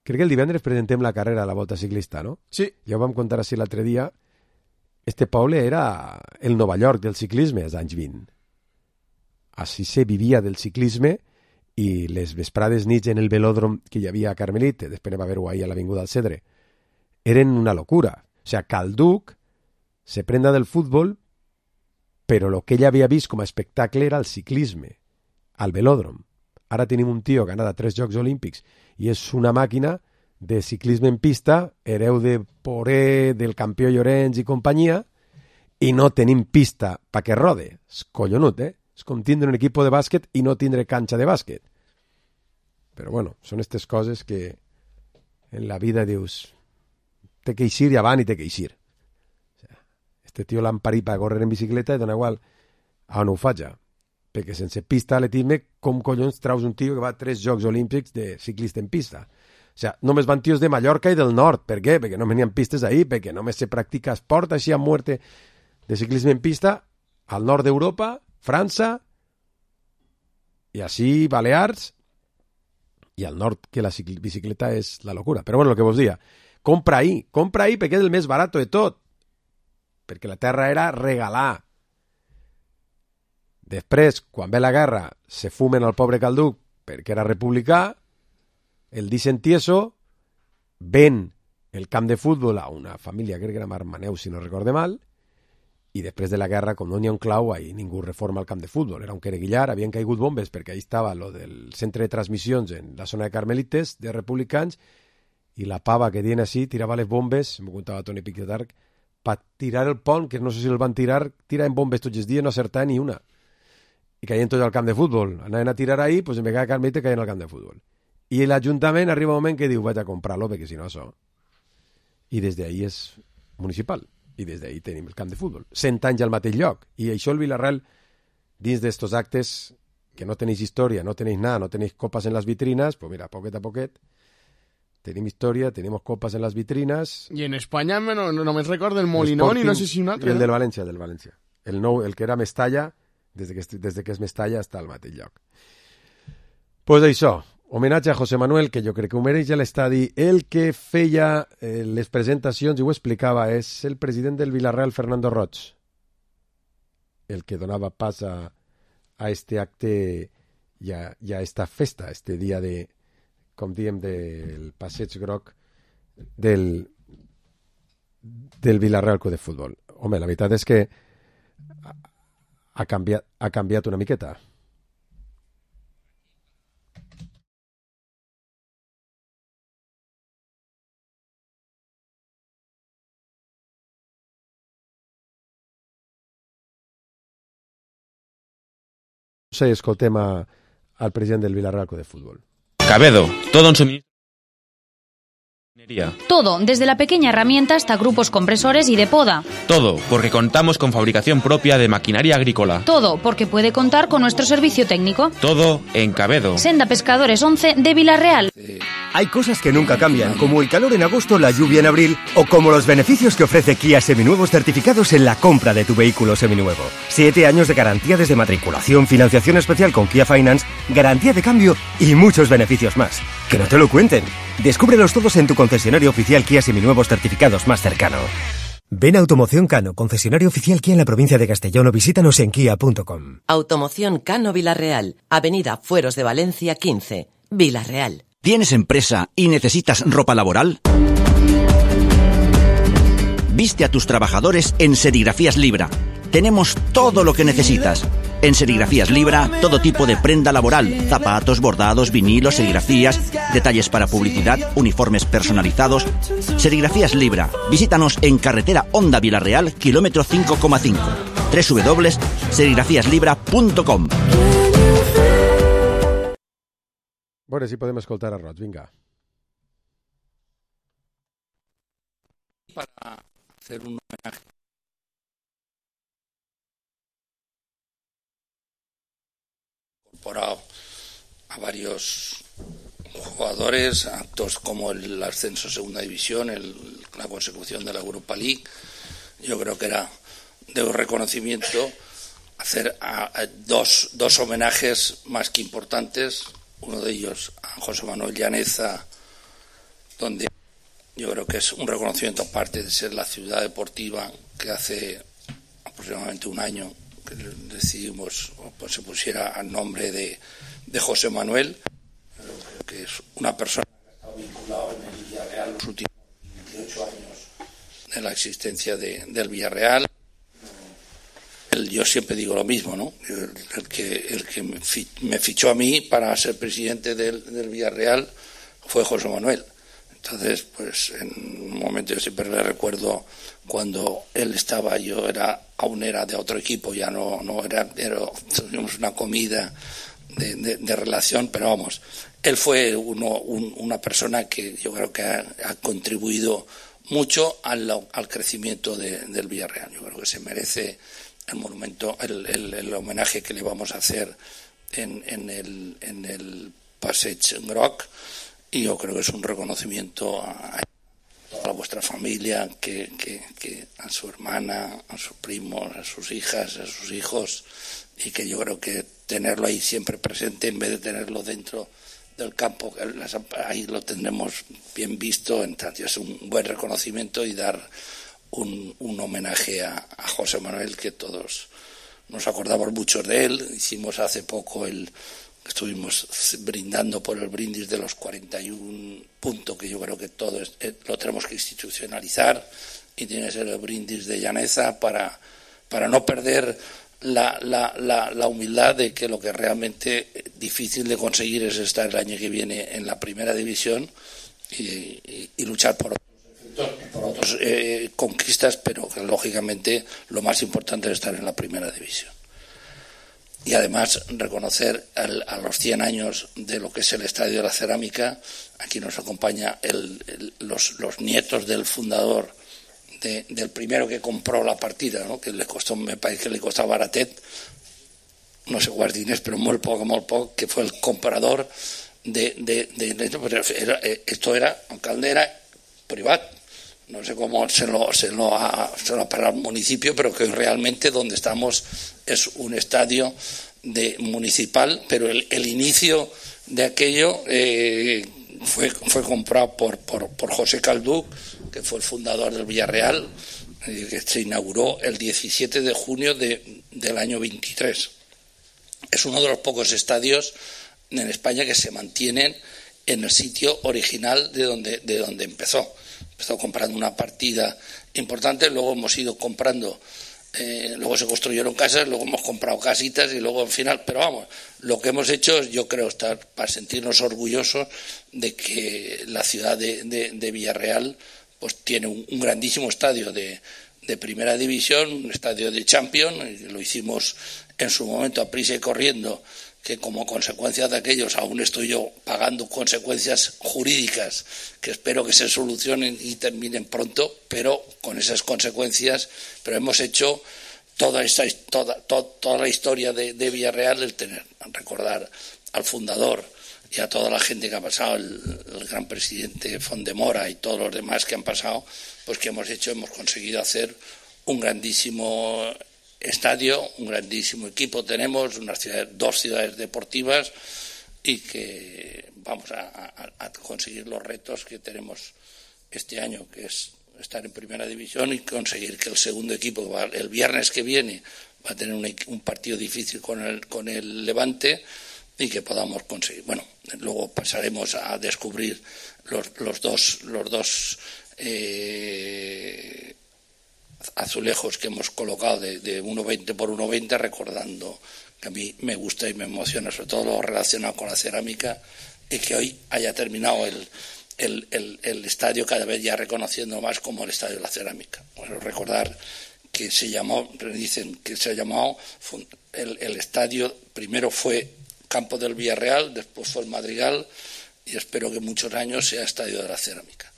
Crec que el divendres presentem la carrera a la Volta Ciclista, no? Sí. Ja ho vam contar així l'altre dia, este poble era el Nova York del ciclisme als anys 20. Així se vivia del ciclisme i les vesprades nits en el velòdrom que hi havia a Carmelit, després va haver-ho ahir a l'Avinguda del Cedre, eren una locura. O sigui, Calduc se prenda del futbol, però el que ell havia vist com a espectacle era el ciclisme, al velòdrom. Ara tenim un tio que ha anat a 3 Jocs Olímpics i és una màquina de ciclisme en pista, hereu de Poré, del campió Llorenç i companyia, i no tenim pista perquè rode. És collonut, eh? És com tindre un equip de bàsquet i no tindre canxa de bàsquet. Però bueno, són aquestes coses que en la vida dius té que eixir i avant i té que eixir. Este tio l'han parit per córrer en bicicleta i dona igual a on ho faig, perquè sense pista atletisme, com collons traus un tio que va a 3 Jocs Olímpics de ciclista en pista? O sigui, només van tios de Mallorca i del nord. Per què? Perquè no venien pistes ahí, perquè només se practica esport així a muerte de ciclisme en pista al nord d'Europa, França, i així Balears, i al nord, que la bicicleta és la locura. Però bueno, el que vos dia, compra ahí perquè és el més barat de tot, perquè la terra era regalar. Després, quan ve la guerra, se fumen al pobre Calduc perquè era republicà, el deixen tieso, ven el camp de futbol a una família, crec que era Marmaneu, si no recorde mal, i després de la guerra, com no n'hi ha un clau, ahí ningú reforma el camp de futbol. Era un quereguillar, havien caigut bombes, perquè ahí estava lo del centre de transmissions en la zona de Carmelites, de republicans, i la pava que tiene així tirava les bombes, m'ho contava Toni Piquetarc, per tirar el pont, que no sé si el van tirar en bombes tots els dies, no acertar ni una. I caien tots al camp de futbol. Anaven a tirar ahí, pues en vegada de Carmelite caien al camp de futbol. I l'Ajuntament arriba un moment que diu, vaig a comprar-lo, perquè si no això... I des d'ahí és municipal. I des d'ahí tenim el camp de futbol. 100 anys al mateix lloc. I això el Villarreal, dins d'estos actes que no tenéis història, no tenéis nada, no tenéis copas en las vitrinas, pues mira, poquet a poquet, tenim història, tenemos copas en las vitrinas... I en Espanya només recordo el Molinón i no sé si un altre. I el del València, el que era Mestalla, des que és Mestalla està al mateix lloc. Pues això, homenatge a José Manuel, que jo crec que ho mereix a l'estadi. El que feia les presentacions i ho explicava és el president del Villarreal, Fernando Roig, el que donava pas a este acte i a esta festa, este dia de, com diem, del passeig groc del Villarreal Club de Futbol. Home, la veritat és que ha canviat una miqueta. Sí, escoltem al president del Villarreal Club de Futbol. Cabedo, todo en suministro. Todo, desde la pequeña herramienta hasta grupos compresores y de poda. Todo, porque contamos con fabricación propia de maquinaria agrícola. Todo, porque puede contar con nuestro servicio técnico. Todo en Cabedo. Senda Pescadores 11 de Villarreal. Hay cosas que nunca cambian, como el calor en agosto, la lluvia en abril, o como los beneficios que ofrece Kia Seminuevos certificados en la compra de tu vehículo seminuevo. 7 años de garantía desde matriculación, financiación especial con Kia Finance, garantía de cambio y muchos beneficios más. Que no te lo cuenten. Descúbrelos todos en tu concesionario oficial Kia Seminuevos certificados más cercano. Ven a Automoción Cano, concesionario oficial Kia en la provincia de Castellón, o visítanos en kia.com. Automoción Cano Villarreal, Avenida Fueros de Valencia 15, Villarreal. ¿Tienes empresa y necesitas ropa laboral? Viste a tus trabajadores en Serigrafías Libra. Tenemos todo lo que necesitas. En Serigrafías Libra, todo tipo de prenda laboral, zapatos, bordados, vinilos, serigrafías, detalles para publicidad, uniformes personalizados. Serigrafías Libra. Visítanos en carretera Honda Villarreal, kilómetro 5,5. www.serigrafíaslibra.com. A veure si podem escoltar a Roig, vinga. Para hacer un homenaje incorporado a varios jugadores, actos como el ascenso a segunda división, la consecución de la Europa League. Yo creo que era de reconocimiento hacer dos homenajes más que importantes. Uno de ellos a José Manuel Llaneza, donde Yo creo que es un reconocimiento, aparte de ser la ciudad deportiva que hace aproximadamente un año que decidimos, pues se pusiera al nombre de José Manuel, que es una persona que ha estado vinculada en el Villarreal los últimos 28 años de la existencia del Villarreal. Yo siempre digo lo mismo, ¿no? El que me fichó a mí para ser presidente del Villarreal fue José Manuel. Entonces, pues en un momento yo siempre le recuerdo cuando él estaba, yo aún era de otro equipo, ya no era, tuvimos una comida de relación, pero vamos, él fue una persona que yo creo que ha contribuido mucho al crecimiento del Villarreal. Yo creo que se merece el monumento, el homenaje que le vamos a hacer en el Passeig Groc, y yo creo que es un reconocimiento a toda vuestra familia, que a su hermana, a sus primos, a sus hijas, a sus hijos, y que yo creo que tenerlo ahí siempre presente en vez de tenerlo dentro del campo, ahí lo tendremos bien visto. Entonces es un buen reconocimiento y dar un homenaje a José Manuel, que todos nos acordamos mucho de él. Hicimos hace poco estuvimos brindando por el brindis de los 41 puntos, que yo creo que todo lo tenemos que institucionalizar, y tiene que ser el brindis de Llaneza para no perder la humildad de que lo que realmente difícil de conseguir es estar el año que viene en la primera división y luchar por otras conquistas, pero que lógicamente lo más importante es estar en la primera división. Y además reconocer a los 100 años de lo que es el Estadio de la Cerámica. Aquí nos acompaña los nietos del fundador, del primero que compró la partida, ¿no? Que le costó, me parece que le costaba baratet, no sé cuántos diners, pero muy poco, que fue el comprador esto era, aunque era privado, no sé cómo se lo ha pagado el municipio, pero que realmente donde estamos es un estadio municipal, pero el inicio de aquello fue comprado por José Calduc, que fue el fundador del Villarreal, que se inauguró el 17 de junio del año 23. Es uno de los pocos estadios en España que se mantienen en el sitio original de donde empezó. Empezó comprando una partida importante, luego hemos ido comprando, luego se construyeron casas, luego hemos comprado casitas y luego al final, pero vamos, lo que hemos hecho, yo creo, estar para sentirnos orgullosos de que la ciudad de Villarreal pues tiene un grandísimo estadio de primera división, un estadio de Champions, y lo hicimos en su momento a prisa y corriendo, que como consecuencia de aquellos aún estoy yo pagando consecuencias jurídicas que espero que se solucionen y terminen pronto, pero con esas consecuencias, pero hemos hecho toda la historia de Villarreal, recordar al fundador y a toda la gente que ha pasado, el gran presidente Fondemora y todos los demás que han pasado, pues que hemos conseguido hacer un grandísimo estadio, un grandísimo equipo. Tenemos dos ciudades deportivas y que vamos a conseguir los retos que tenemos este año, que es estar en primera división y conseguir que el segundo equipo, el viernes que viene, va a tener un partido difícil con el Levante, y que podamos conseguir. Bueno, luego pasaremos a descubrir los dos azulejos que hemos colocado de 1,20 por 1,20, recordando que a mí me gusta y me emociona sobre todo lo relacionado con la cerámica, y que hoy haya terminado el estadio cada vez ya reconociendo más como el Estadio de la Cerámica. Bueno, recordar que dicen que se ha llamado el estadio, primero fue Campo del Villarreal, después fue el Madrigal, y espero que muchos años sea Estadio de la Cerámica.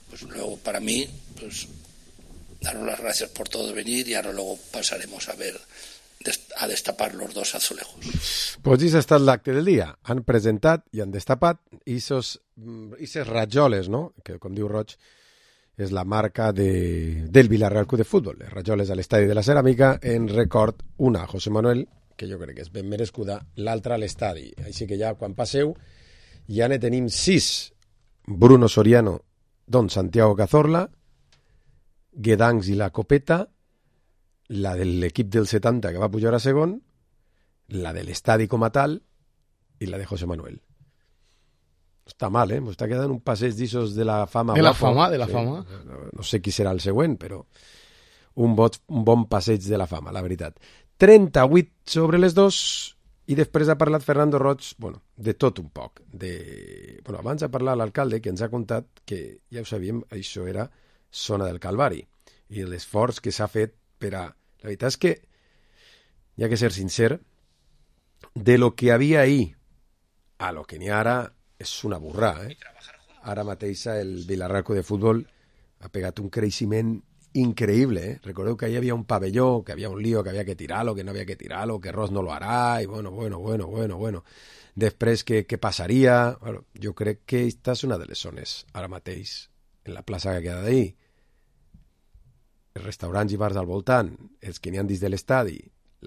Pues luego, para mí, pues daros las gracias por todo venir, y ahora luego pasaremos a destapar los dos azulejos. Pues això ha estat l'acte del dia. Han presentat i han destapat aquestes rajoles, no? Que, com diu Roig, és la marca del Villarreal Club de Futbol. Les rajoles a l'Estadi de la Ceràmica en record, una a José Manuel, que jo crec que és ben merescuda, l'altra a l'estadi. Així que ja, quan passeu, ja ne tenim 6. Bruno Soriano Don Santiago Cazorla, Guedancs i la Copeta, la de l'equip del 70 que va pujar a segon, la de l'estadi com a tal i la de José Manuel. Està mal, m'està quedant un passeig d'issos de la fama. De la fama, de la fama. No sé qui serà el següent, però un bon passeig de la fama, la veritat. 38 sobre les 2, i després ha parlat Fernando Roig, de tot un poc. Abans ha parlat l'alcalde, que ens ha contat que, ja ho sabíem, això era Zona del Calvari, i l'esforç que s'ha fet per a... La veritat és que, hi ha que ser sincer, de lo que havia ahir a lo que n'hi ha ara, és una burrada, Ara mateix el Vilarraco de futbol ha pegat un creixement increïble, Recordeu que hi havia un pavelló, que havia un lío, que havia que tirar-lo, que no havia que tirar-lo, que Ros no lo harà, i bueno. Després, què passaria? Jo crec que aquesta és una de les zones, ara mateix, en la plaça que queda d'ahir. Els restaurants i bars al voltant, els que n'hi ha dins de l'estadi,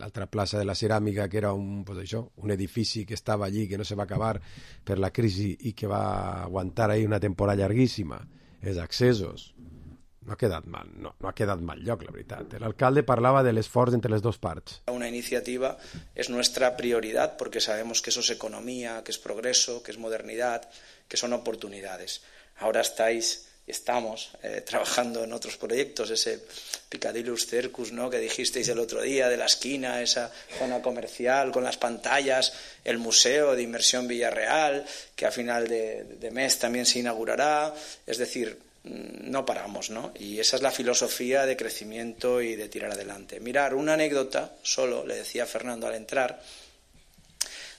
l'altra plaça de la Ceràmica, que era un edifici que estava allí, que no se va acabar per la crisi i que va aguantar ahí una temporada llarguíssima, els accessos. No ha quedat mal, no ha quedat mal lloc, la veritat. L'alcalde parlava de l'esforç entre les dues parts. Una iniciativa es nuestra prioridad porque sabemos que eso es economía, que es progreso, que es modernidad, que son oportunidades. Ahora estamos trabajando en otros proyectos, ese Picadillus Circus, ¿no?, que dijisteis el otro día, de la esquina, esa zona comercial con las pantallas, el Museo de Inmersión Villarreal, que a final de mes también se inaugurará. Es decir, no paramos, ¿no? Y esa es la filosofía de crecimiento y de tirar adelante. Mirar, una anécdota, solo, le decía Fernando al entrar,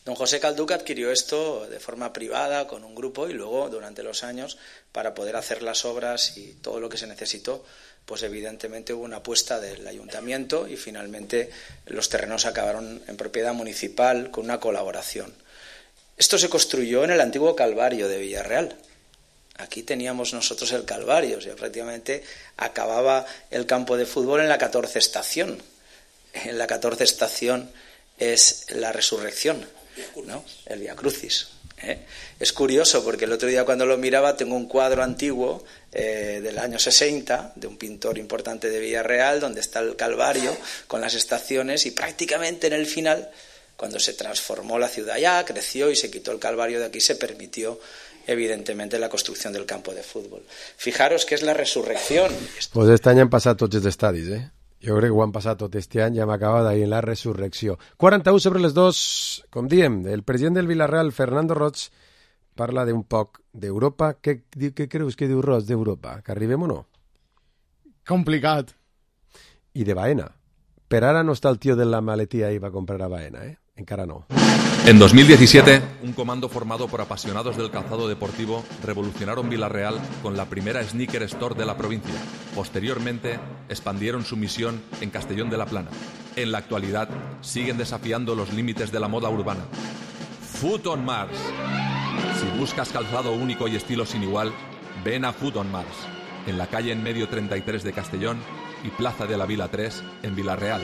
don José Calduca adquirió esto de forma privada con un grupo y luego durante los años, para poder hacer las obras y todo lo que se necesitó, pues evidentemente hubo una apuesta del ayuntamiento y finalmente los terrenos acabaron en propiedad municipal con una colaboración. Esto se construyó en el antiguo Calvario de Villarreal. Aquí teníamos nosotros el Calvario, o sea, prácticamente acababa el campo de fútbol en la 14 estación. En la 14 estación es la resurrección, ¿no? El Vía Crucis. Es curioso porque el otro día cuando lo miraba tengo un cuadro antiguo del año 60 de un pintor importante de Villarreal donde está el Calvario con las estaciones y prácticamente en el final, cuando se transformó la ciudad ya, creció y se quitó el Calvario de aquí, se permitió evidentemente la construcción del campo de fútbol. Fijaros que es la resurrección. Pues este any han passat tots els estadis, Jo crec que ho han passat tot este any, ja m'acaba d'ahir en la resurrecció. 41 sobre les 2, com diem, el president del Vilarreal, Fernando Roig, parla d'un poc d'Europa. Què creus que diu Roig d'Europa? Que arribem o no? Complicat. I de Baena. Per ara no està el tio de la maletía i va comprar a Baena, Encara no. En 2017, un comando formado por apasionados del calzado deportivo revolucionaron Vilarreal con la primera sneaker store de la provincia. Posteriormente, expandieron su misión en Castellón de la Plana. En la actualidad, siguen desafiando los límites de la moda urbana. Foot on Mars. Si buscas calzado único y estilo sin igual, ven a Foot on Mars, en la calle en medio 33 de Castellón y Plaza de la Vila 3 en Vilarreal.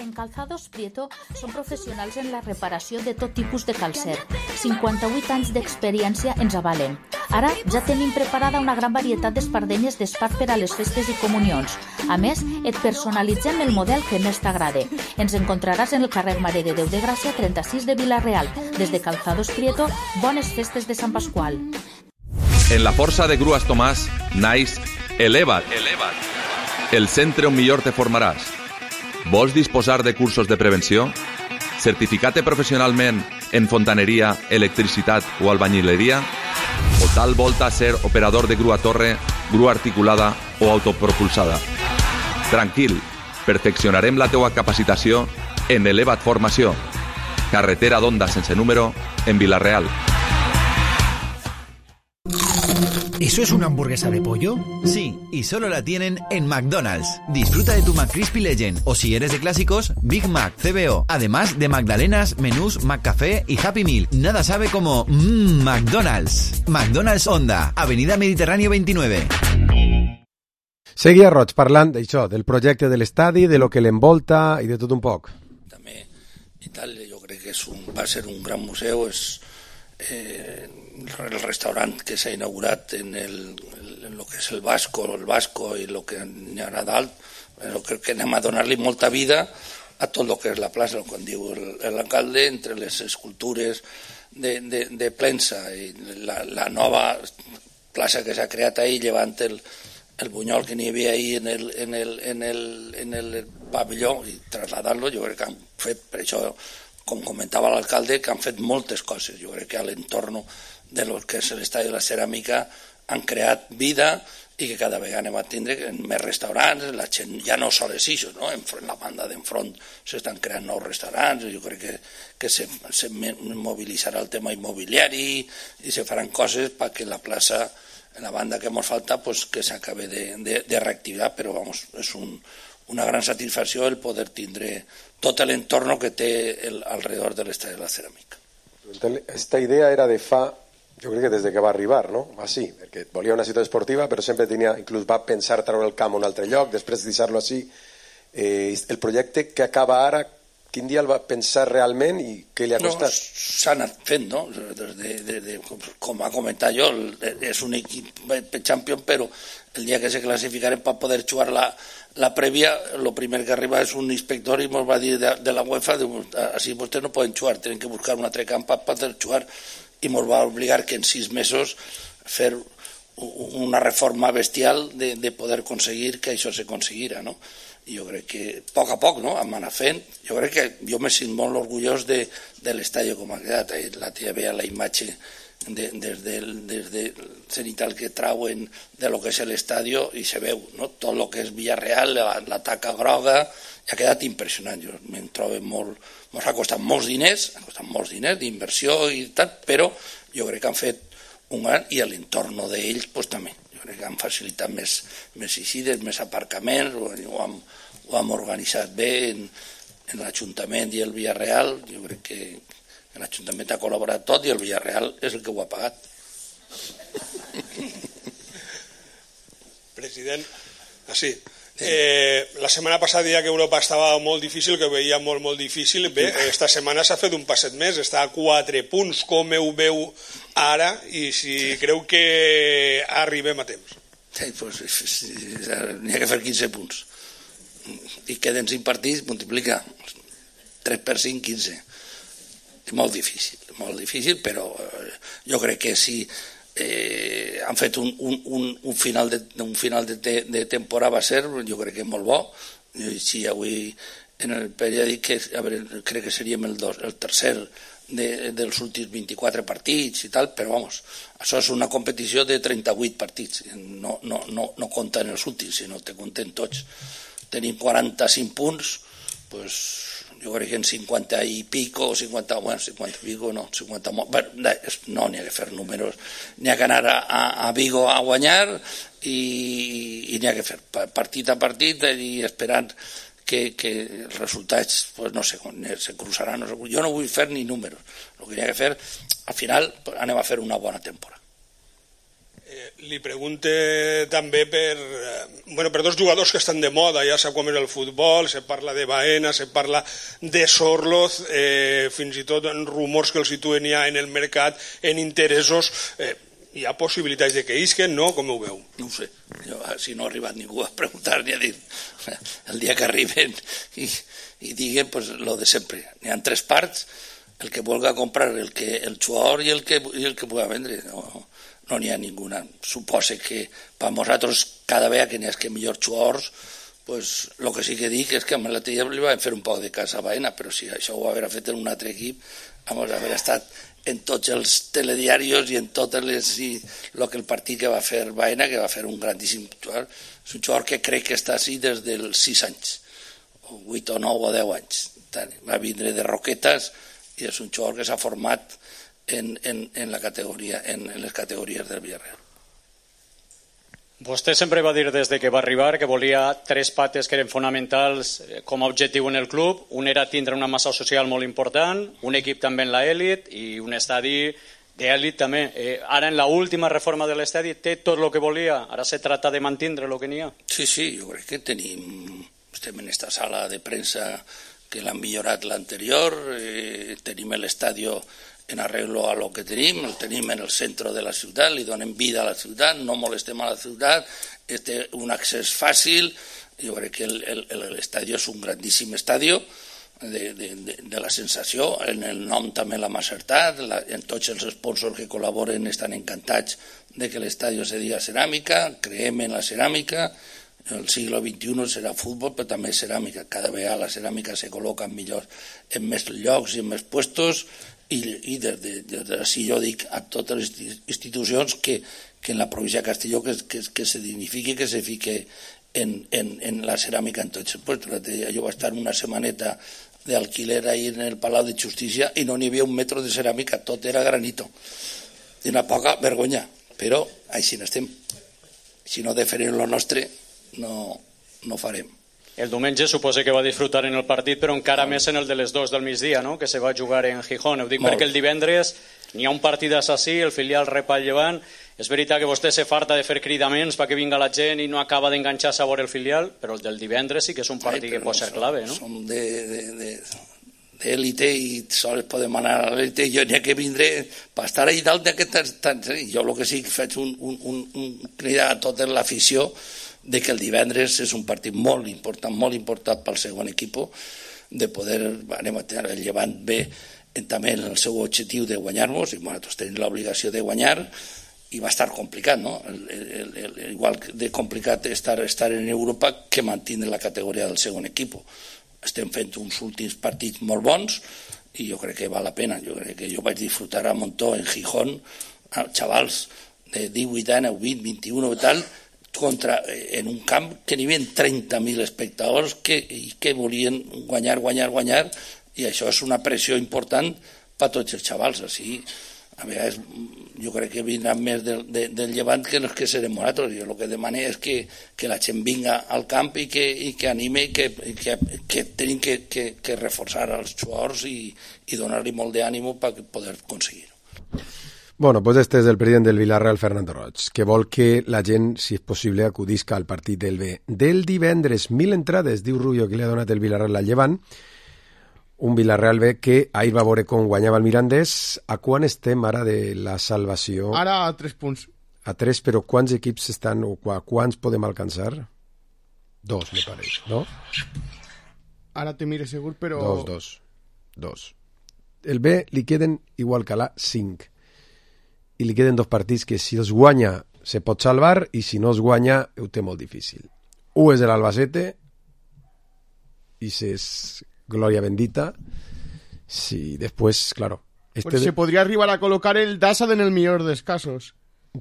En Calzados Prieto són professionals en la reparació de tot tipus de calcer. 58 anys d'experiència ens avalen. Ara ja tenim preparada una gran varietat d'espardenyes d'espart per a les festes i comunions. A més, et personalitzem el model que més t'agrade. Ens encontraràs en el carrer Mare de Déu de Gràcia 36 de Vilarreal. Des de Calzados Prieto, bones festes de Sant Pasqual. En la força de Grues Tomàs, naix Eleva't. El centre on millor te formaràs. Vols disposar de cursos de prevenció? Certificar-te professionalment en fontaneria, electricitat o albañileria? O tal volta ser operador de grua torre, grua articulada o autopropulsada? Tranquil, perfeccionarem la teua capacitació en Eleva't Formació. Carretera d'Onda sense número en Vilarreal. ¿Eso es una hamburguesa de pollo? Sí, y solo la tienen en McDonald's. Disfruta de tu McCrispy Legend, o si eres de clásicos, Big Mac, CBO, además de magdalenas, menús, McCafé y Happy Meal. Nada sabe como McDonald's. McDonald's Onda, Avenida Mediterráneo 29. Seguia Roig parlant d'això, del projecte de l'estadi, de lo que l'envolta i de tot un poc. També i tal, jo crec que va ser un gran museu, restaurant que s'ha inaugurat en lo que és el Vasco i el que n'hi ha a dalt, però crec que anem a donar-li molta vida a tot el que és la plaça, quan diu l'alcalde, entre les escultures de Plensa i la nova plaça que s'ha creat ahir, llevant el bunyol que n'hi havia ahir en el pavelló, i trasladant-lo, jo crec que han fet, per això, com comentava l'alcalde, que han fet moltes coses. Jo crec que a l'entorn de lo que és l'estadi de la ceràmica han creat vida i que cada vegada anem a tindre més restaurants, la gent ja no sol és això, no? En la banda d'enfront s'estan creant nous restaurants, jo crec que se mobilitzarà el tema immobiliari i se faran coses perquè la plaça, en la banda que ens falta, pues, que s'acabe de reactivar, però vamos, és una gran satisfacció el poder tindre tot l'entorn que té alrededor de l'estadi de la ceràmica. Esta idea era de fa, jo crec que des que va arribar, no? Així, perquè volia una ciutat esportiva, però sempre tenia, inclús va pensar treure el camp a un altre lloc, després deixar-lo així. El projecte que acaba ara, quin dia el va pensar realment i què li ha costat? S'ha anat fent, no? Com ha comentat jo, és un equip champion, però el dia que se classificaren per poder jugar la prèvia, el primer que arriba és un inspector i ens va dir de la UEFA, així vostès no poden jugar, tenen que buscar un altre camp per poder jugar, i ens va obligar que en 6 mesos fer una reforma bestial de poder aconseguir que això se conseguira, no? I jo crec que a poc, no?, hem anat fent. Jo crec que jo me sent molt orgullós de l'estadi com ha quedat. La tia veia la imatge des del cenital que trauen de lo que és l'estadi i se veu, no?, tot el que és Villarreal, la taca groga, ha quedat impressionant. Jo me'n trobo molt, ens ha costat molts diners d'inversió i tal, però jo crec que han fet un gran, i a l'entorn d'ells pues, també. Jo crec que han facilitat més eixides, més aparcaments, ho hem organitzat bé en l'Ajuntament i el Villarreal. Jo crec que l'Ajuntament ha col·laborat tot i el Villarreal és el que ho ha pagat. President, sí. La setmana passada deia que Europa estava molt difícil, que ho veia molt difícil. Bé, esta setmana s'ha fet un passet més, està a 4 punts. Com ho veu ara i si creu que arribem a temps? Sí, pues, n'hi ha que fer 15 punts. I queden 5 partits, multiplica 3 per 5, 15. És molt difícil, però jo crec que si han fet un final de temporada va ser, jo crec que és molt bo. Si avui en el periòdic crec que seríem el tercer dels últims 24 partits i tal, però vamos, això és una competició de 38 partits, no compten els últims, sinó te compten tots. Tenim 45 punts, pues jo crec que en 50 i pico, 50 i pico, no, 50, no n'hi ha que fer números, n'hi ha que anar a Vigo a guanyar i n'hi ha que fer partit a partit i esperant que els resultats, pues no sé, se cruzaran, no sé, jo no vull fer ni números, el que n'hi ha que fer, al final anem a fer una bona temporada. Li pregunte també per dos jugadors que estan de moda, ja sap com és el futbol, se parla de Baena, se parla de Sorloz, fins i tot en rumors que els situen ja en el mercat, en interessos. Hi ha possibilitats de que isquen, no? Com ho veu? No ho sé, si no ha arribat ningú a preguntar ni a dir, el dia que arriben i diguen pues, lo de sempre. N'hi ha 3 parts, el que vulga comprar el jugador i el que puga vendre, no n'hi ha ninguna. Suposa que per nosaltres cada vegada que n'hi ha millors jugadors, pues el que sí que dic és que a l'altre dia li vam fer un poc de cas a Baena, però si això ho haver fet en un altre equip, vamos a haver estat en tots els telediaris i en totes les... el que el partit que va fer Baena, que va fer un grandíssim jugador, és un jugador que crec que està així des dels 6 anys, o 8 o 9 o 10 anys. Va vindre de Roquetes i és un jugador que s'ha format en les categories del Villarreal. Vostè sempre va dir des que va arribar que volia 3 pates que eren fonamentals com a objectiu en el club. Un era tindre una massa social molt important, un equip també en l'elit i un estadi d'elit també. Ara en l'última reforma de l'estadi té tot el que volia, ara se trata de mantenir el que n'hi ha. Sí, jo crec que estem en esta sala de premsa que l'han millorat l'anterior, tenim l'estadi en arreglo a lo que tenim, el tenim en el centre de la ciutat, li donem vida a la ciutat, no molestem a la ciutat, té un accés fàcil, jo crec que l'estadi és un grandíssim estadi, de la sensació, en el nom també l'hem acertat, en tots els sponsors que col·laboren estan encantats de que l'estadi se diga ceràmica, creiem en la ceràmica, el segle XXI serà futbol, però també ceràmica, cada vegada la ceràmica se col·loca millor en més llocs i en més puestos, i des d'ací jo dic a totes les institucions que en la província de Castelló que se dignifiqui, que se fique en la ceràmica en tots els puestos. Jo vaig estar una setmaneta d'alquiler ahir en el Palau de Justícia i no n'hi havia un metro de ceràmica, tot era granito. I una poca vergonya, però així n'estem. Si no deferim lo nostre, no farem. El diumenge suposo que va disfrutar en el partit, però encara més en el de les 2 del migdia, no? Que se va jugar en Gijón. Ho dic perquè el divendres n'hi ha un partit assassí, el filial rep al Llevant. És veritat que vostè se farta de fer cridaments perquè vinga la gent i no acaba d'enganxar-se a veure el filial, però el del divendres sí que és un partit que pot ser clave, no? Som d'élite i sols podem anar a l'élite i jo n'hi ha que vindré per estar allà dalt d'aquest... Jo el que sí que faig un cridar a tota l'afició de que el divendres és un partit molt important pel segon equip, de poder, anem a tenir el Llevant bé també en el seu objectiu de guanyar-nos, i nosaltres tenim l'obligació de guanyar, i va estar complicat, no? Igual de complicat estar en Europa que mantenir la categoria del segon equip. Estem fent uns últims partits molt bons i jo crec que val la pena. Jo crec que jo vaig disfrutar a Montó, en Gijón, xavals de 18 anys, 20, 21 i tal, en un camp que n'hi havia 30.000 espectadors que volien guanyar, i això és una pressió important per a tots els xavals. Així, a vegades, jo crec que vindran més del Llevant que els que serem nosaltres. Jo el que demano és que la gent vinga al camp i que anime i que tenim que reforçar els jugadors i donar-li molt d'ànim per poder aconseguir-ho. Bueno, pues este és el president del Villarreal, Fernando Roig, que vol que la gent, si és possible, acudisca al partit del B. Del divendres, 1.000 entrades, diu Rubio, que li ha donat el Villarreal al Llevant, un Villarreal B que ahir va veure com guanyava el Mirandés. A quan estem ara de la salvació? Ara a 3 punts. A 3, però quants equips estan, o quants podem alcançar? 2, me pareix, no? Ara te mire segur, però... 2. El B li queden igual que l'A 5. I li queden 2 partits que si els guanya se pot salvar i si no els guanya ho té molt difícil. Un és l'Albacete i és gloria bendita. Sí, després, claro. Pues se podria arribar a col·locar el Dassad en el millor dels casos.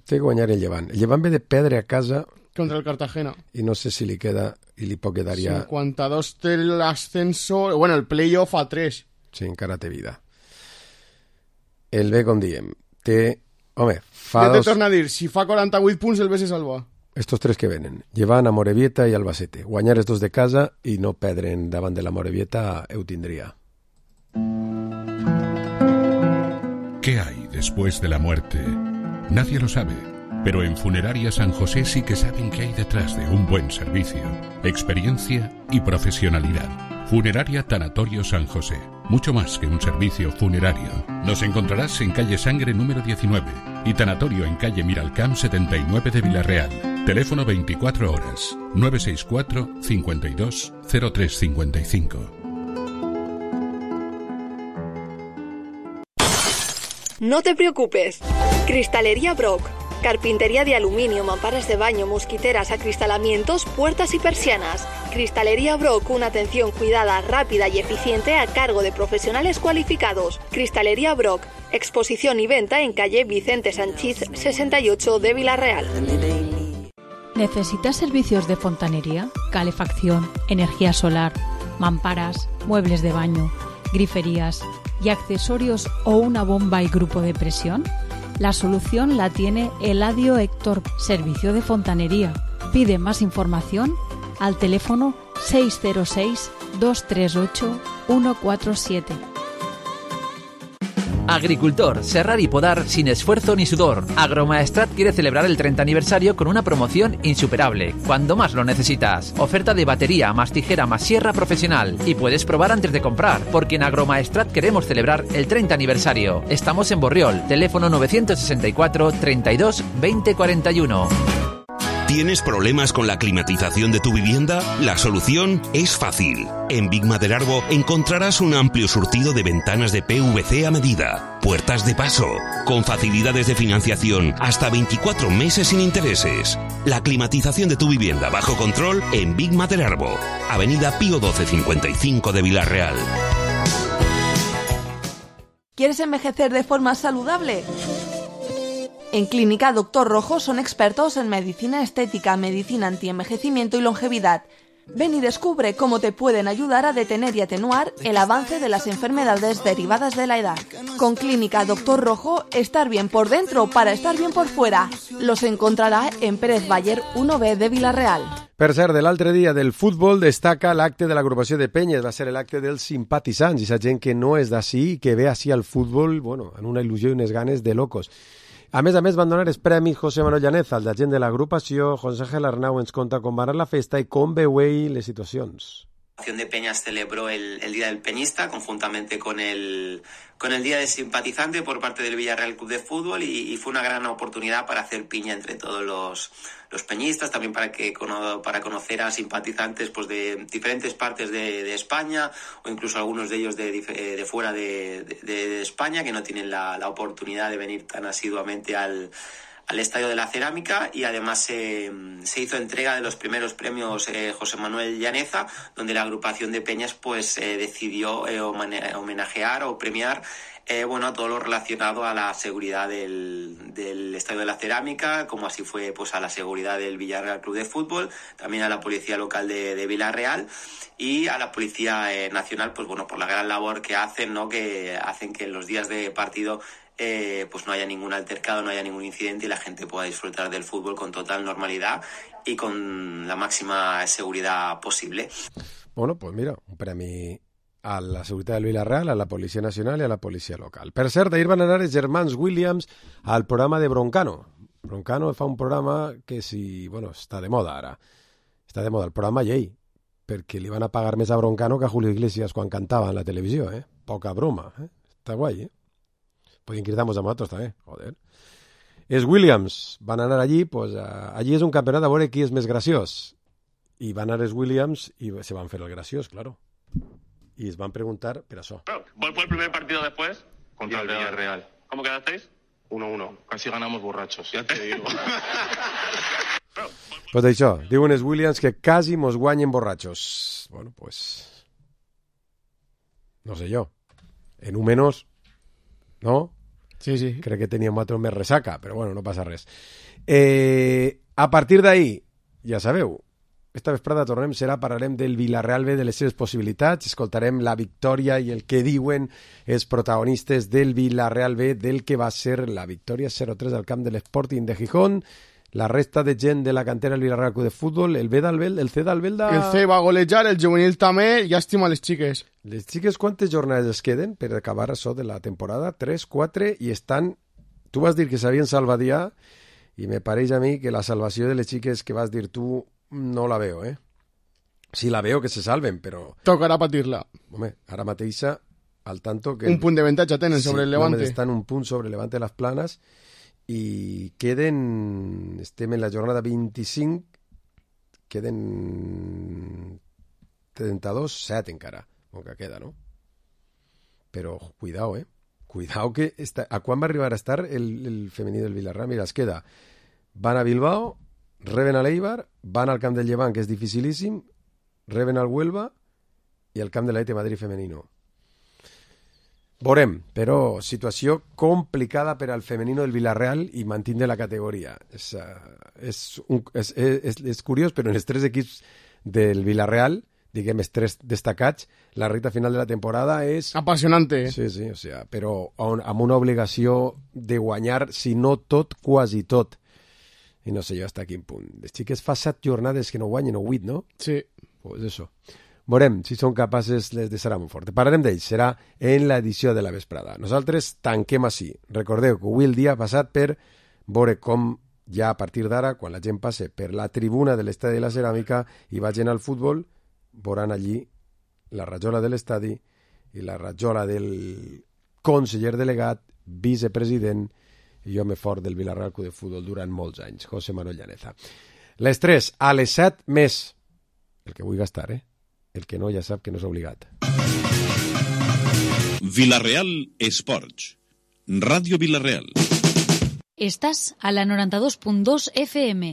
Té que guanyar el Llevant. El Llevant ve de perdre a casa contra el Cartagena. I no sé si li queda i li pot quedar ja... 52 té l'ascenso... Bueno, el playoff a 3. Sí, encara té vida. El B, com diem, té... Home, fa ja te torna a dir, si fa 48 punts el B se salva. Estos 3 que venen, Llevant, Amorebieta i Albacete. Guanyar els 2 de casa i no perdre'n davant de l'Amorebieta ho tindria. ¿Qué hay después de la muerte? Nadie lo sabe, pero en Funeraria San José sí que saben qué hay detrás de un buen servicio, experiencia y profesionalidad. Funeraria Tanatorio San José. Mucho más que un servicio funerario. Nos encontrarás en calle Sangre número 19 y Tanatorio en calle Miralcamp 79 de Villarreal. Teléfono 24 horas 964 52 0355. No te preocupes. Cristalería Brock. Carpintería de aluminio, mamparas de baño, mosquiteras, acristalamientos, puertas y persianas. Cristalería Brock, una atención cuidada, rápida y eficiente a cargo de profesionales cualificados. Cristalería Brock, exposición y venta en calle Vicente Sanchís 68 de Villarreal. ¿Necesitas servicios de fontanería, calefacción, energía solar, mamparas, muebles de baño, griferías y accesorios o una bomba y grupo de presión? La solución la tiene Eladio Héctor, servicio de fontanería. Pide más información al teléfono 606 238 147. Agricultor, serrar y podar sin esfuerzo ni sudor. Agromaestrat quiere celebrar el 30 aniversario con una promoción insuperable, cuando más lo necesitas. Oferta de batería más tijera más sierra profesional. Y puedes probar antes de comprar, porque en Agromaestrat queremos celebrar el 30 aniversario. Estamos en Borriol, teléfono 964 32 20 41. ¿Tienes problemas con la climatización de tu vivienda? La solución es fácil. En Big Maderarbo encontrarás un amplio surtido de ventanas de PVC a medida, puertas de paso, con facilidades de financiación hasta 24 meses sin intereses. La climatización de tu vivienda bajo control en Big Maderarbo, Avenida Pío XII 55 de Vila-real. ¿Quieres envejecer de forma saludable? En Clínica Dr. Rojo son expertos en medicina estética, medicina antienvejecimiento y longevidad. Ven y descubre cómo te pueden ayudar a detener y atenuar el avance de las enfermedades derivadas de la edad. Con Clínica Dr. Rojo, estar bien por dentro para estar bien por fuera. Los encontrarà en Pérez Baller 1B de Vila-real. Per cert, de l'altre dia del futbol destaca l'acte de l'agrupació de Penyes, va ser l'acte dels simpatitzants, i esa gent que no és d'ací, que ve així al futbol, bueno, en una il·lusió i unes ganes de locos. A més, van donar els premis José Manuel Llaneza, el d'agent de l'agrupació. José Ángel Arnau ens conta com va anar la festa i com veu ell les situacions. La Asociación de Peñas celebró el Día del Peñista conjuntamente con el Día del Simpatizante por parte del Villarreal Club de Fútbol y fue una gran oportunidad para hacer piña entre todos los peñistas, también para conocer a simpatizantes pues de diferentes partes de España o incluso algunos de ellos de fuera de España que no tienen la oportunidad de venir tan asiduamente al Estadio de la Cerámica, y además se hizo entrega de los primeros premios José Manuel Llaneza, donde la agrupación de peñas pues decidió homenajear o premiar a todo lo relacionado a la seguridad del Estadio de la Cerámica, como así fue pues a la seguridad del Villarreal Club de Fútbol, también a la Policía Local de Vila-real y a la Policía Nacional, pues bueno, por la gran labor que hacen, ¿no? Que hacen que en los días de partido pues no haya ningún altercado, no haya ningún incidente y la gente pueda disfrutar del fútbol con total normalidad y con la máxima seguridad posible. Bueno, pues mira, un premi a la seguretat del Vila-real, a la Policia Nacional i a la Policia Local. Per cert, ahir van anar els germans Williams al programa de Broncano. Broncano fa un programa que està de moda ara. Està de moda el programa llei, perquè li van a pagar més a Broncano que a Julio Iglesias quan cantava en la televisió, eh? Poca broma, eh? Està guai, eh? Podien quitar-nos a nosaltres també, joder. Els Williams van anar allí, pues allí és un campionat a veure qui és més graciós. I van anar els Williams i se van fer el graciós, claro. Y les van preguntar per això. ¿Cuál fue el primer partido después? Contra el Villarreal. ¿Cómo quedasteis? 1-1. Casi ganamos borrachos, ya te digo. Pues això, diuen els Williams que quasi mos guanyen borratxos. Bueno, pues... no sé jo. En un menos... ¿no? Sí. Crec que teníem otro més resaca, però bueno, no passa res. A partir d'ahí, ja sabeu, esta vesprada parlarem del Vila-real B, de les seves possibilitats, escoltarem la victòria i el que diuen els protagonistes del Vila-real B, del que va ser la victòria 0-3 al camp de l'Sporting de Gijón, la resta de gent de la cantera del Vila-real Club de Futbol, el C d'Albelda... El C va golejar, el juvenil també, llàstima a les xiques. Les xiques quantes jornades es queden per acabar això de la temporada? 3, 4, i estan... Tu vas dir que s'havien salvat ja, i me pareix a mi que la salvació de les xiques que vas dir tu no la veo, eh? Sí la veo que se salven, però... Tocarà patir-la. Home, ara mateixa, al tanto que... Un punt d'avantatge tenen sobre el Levante. Sí, estan un punt sobre el Levante de les Planes, i queden... Estem en la jornada 25, queden 32, 7 encara, com que queda, no? Però, cuidao, eh? Cuidao que... A quan va arribar a estar el femení del Vila-real? Mira, es queda... Van a Bilbao, reben a l'Eibar, van al camp del Llevant, que és dificilíssim, reben al Huelva i al camp de l'Atlètic Madrid femenino. Veurem, però situació complicada per al femenino del Vila-real i mantindre la categoria. És curiós, però en els 3 equips del Vila-real, diguem, els 3 destacats, la recta final de la temporada és... Apassionante. Sí, o sea, però amb una obligació de guanyar, si no tot, quasi tot. I no sé jo hasta quin punt. Les xiques fa 7 jornades que no guanyen, o 8, no? Sí. Pues eso. Veurem si són capaces les de Serà Montfort. Parlarem d'ells, serà en l'edició de la vesprada. Nosaltres tanquem així. Recordeu que avui el dia ha passat per veure com ja a partir d'ara, quan la gent passe per la tribuna de l'Estadi de la Ceràmica i vagin al futbol, veuran allí la rajola de l'estadi i la rajola del conseller delegat, vicepresident i home fort del Vila-real Club de Futbol durant molts anys, José Manuel Llaneza. Les 3, a les 7 més. El que vull gastar, El que no ja sap que no és obligat. Vila-real Esports. Ràdio Vila-real. Estás a la 92.2 FM,